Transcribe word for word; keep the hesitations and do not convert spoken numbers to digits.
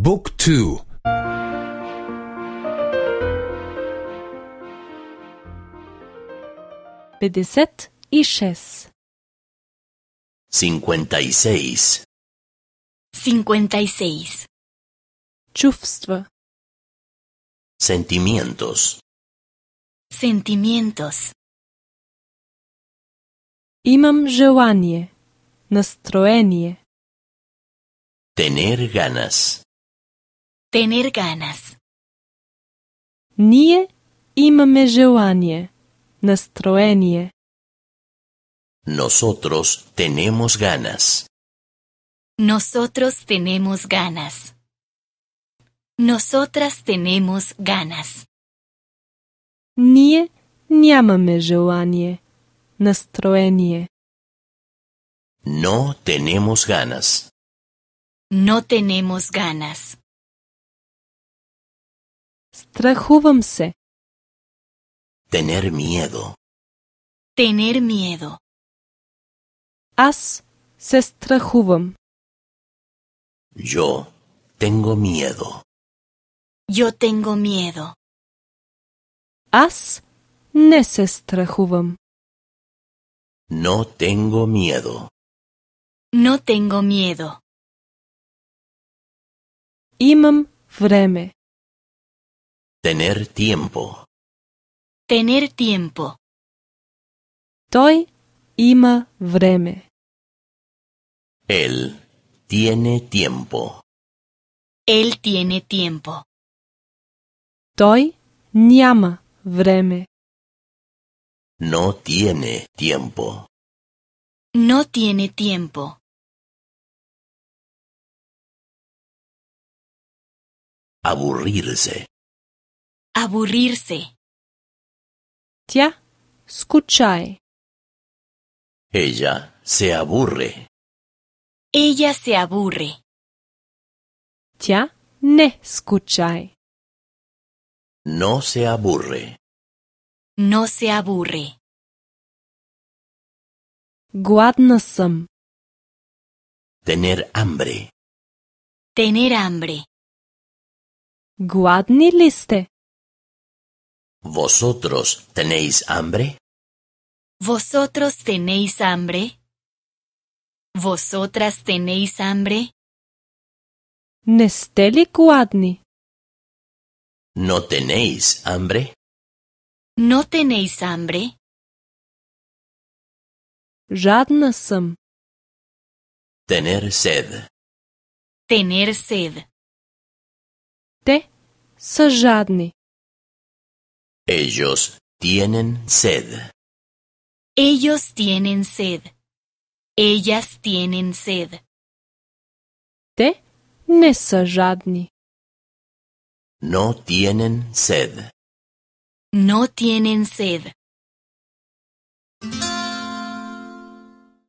บุ๊กทูпетдесет и шест. cincuenta y seis. cincuenta y seis. Чувства. Sentimientos. Sentimientos. Имам желание. Настроение. Tener ganas. Tener ganas. Ние имаме желание. Настроение. Nosotros tenemos ganas. Nosotros tenemos ganas. Nosotras tenemos ganas. Ние нямаме желание. Настроение. No tenemos ganas. No tenemos ganas. Страхувам се. Tener miedo. Tener miedo. Аз се страхувам. Yo tengo miedo. Yo tengo miedo. Аз не се страхувам. No tengo miedo. No tengo miedo. Имам време. Tener tiempo. Tener tiempo. Той има време. Él tiene tiempo. Él tiene tiempo. Той няма време. No tiene tiempo. No tiene tiempo. Aburrirse. Aburrirse. Тя скучае. Ella se aburre. Ella se aburre. Тя не скучае. No se aburre. No se aburre. Гладна съм. Tener hambre. Tener hambre. Гладни ли сте? ¿Vosotros tenéis hambre? ¿Vosotros tenéis hambre? ¿Vosotras tenéis hambre? Не сте ли гладни? ¿No tenéis hambre? ¿No tenéis hambre? Жадна съм. Tener sed. Tener sed. Те са жадни. Ellos tienen sed. Ellos tienen sed. Ellas tienen sed. Те не са жадни. No tienen sed. No tienen sed.